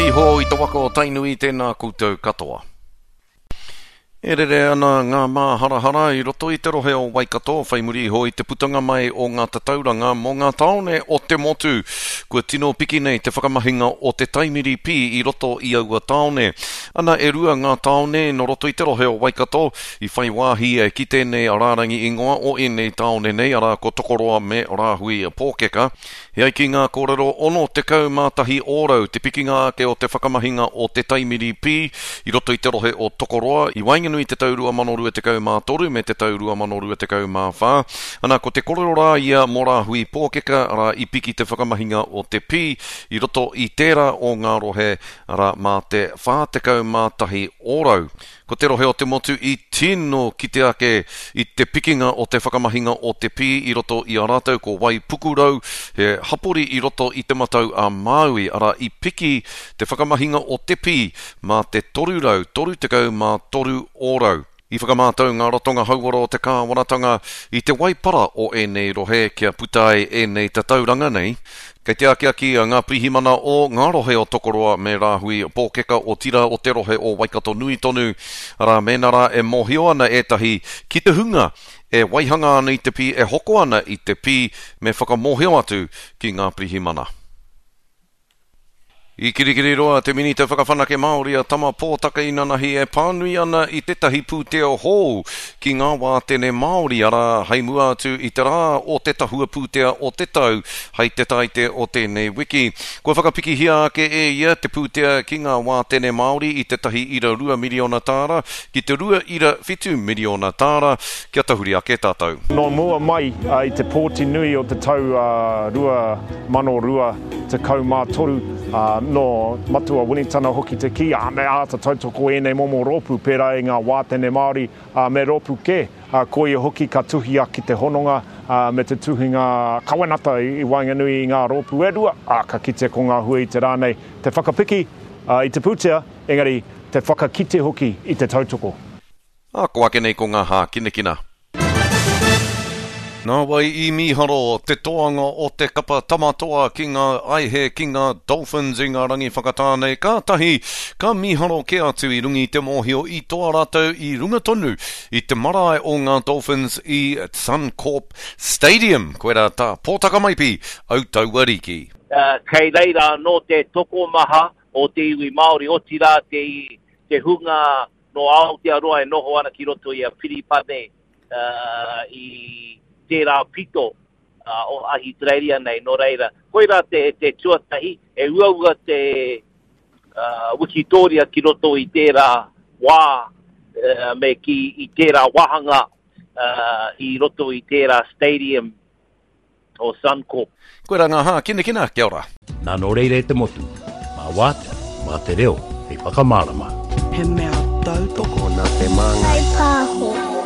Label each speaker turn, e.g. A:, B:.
A: Tere iho i te waka o Tainui tēnā koutou katoa. E rere ana ngā māharahara i roto i te rohe o Waikato whai muri iho i te putanga mai o ngā tatauranga mō ngā tāone o te motu. Kua tino piki nei te whakamahinga o te taimiri pī i roto i aua tāone. Ana e rua ngā tāone nō roto i te rohe o Waikato i whai wāhi ki tēnei rārangi ingoa o ēnei tāone nei, arā ko Tokoroa me Rāhui Pōkeka. E ai ki ngā kōrero, 61 ōrau te pikinga ake o te whakamahinga o te taimiri pī i roto i te rohe o Tokoroa i waenganui i te tau 2023 me te tau 2024. Ana, ko te korero rā ia mō Rāhui Pōkeka, arā, i piki te whakamahinga o te pī i roto i tērā o ngā rohe, arā, mā te 41 ōrau. Ko te rohe o te motu i tino kite ake i te pikinga o te whakamahinga o te pī i roto i a rātou ko Waipukurau, he hapori i roto i Te Matau a Māui, arā i piki te whakamahinga o te pī mā te 333 ōrau. I whakamātau ngā ratonga hauora o te kāwanatanga i te waipara o ēnei rohe kia puta ai ēnei tatauranga nei. Kei te akiaki a Ngā Pirihimana o ngā rohe o Tokoroa me Rāhui Pōkeka otirā o te rohe o Waikato nui tonu, arā, mēnā rā e mōhio ana ētahi ki te hunga e waihanga ana i te pī, e hoko ana i te pī, me whakamōhio atu ki Ngā Pirihimana. I Kirikiriroa te Minita Whakawhanake Māori a Tama Pōtaka inanahi e pānui ana i tētahi pūtea hou ki ngā wātene Māori, arā, hei mua atu i te rā o te tahua pūtea o te tau hei te Taite o tēnei wiki. Kua whakapikihia ake e ia te pūtea ki ngā wātene Māori i te 1.2 miriona tāra ki te 2.7 miriona tāra kia tahuri ake tātou.
B: Nō mua mai i te pōti nui o te tau 2002, 13, ā, nō Matua Winitana hoki te kī, ā, me āta tautoko ēnei momo rōpū pērā i ngā wātene Māori, ā, me rōpū kē, ā, koia hoki ka tuhia ki te hononga, ā, me te tuhinga kawenata i waenganui i ngā rōpū e rua, ā, ka kite ko ngā hua i te rā nei, te whakapiki, ā, i te pūtea, engari, te whakakite hoki i te tautoko.
A: Ā, ko ake nei ko ngā hākinakina. Nā wai i mīharo te toanga o te kapa Tama Toa ki ngā aihe ki ngā Dolphins i ngā rangi whakatā nei, kātahi ka mīharo kē atu i runga i te mōhio i toa rātou i runga tonu i te marae o ngā Dolphins i Suncorp Stadium. Koirā tā Pōtaka Maipi, Autauariki.
C: Kei reira anō te tokomaha o te iwi Māori, otirā te, te hunga nō Aotearoa e noho ana ki roto i a Piripane i tērā pito o Ahitereiria nei, nō reira, koirā te, te tuatahi, e uaua te uh, wikitōria ki roto i tērā wā uh, me ki i tērā wāhanga uh, i roto i tērā stadium o Suncorp.
A: Koirā ngā hākinakina, kia ora.
D: Nā nō reira e te motu, mā Wātea, mā te reo hei whakamārama.
E: He mea tautoko
F: nā te māngai.
G: Pāho.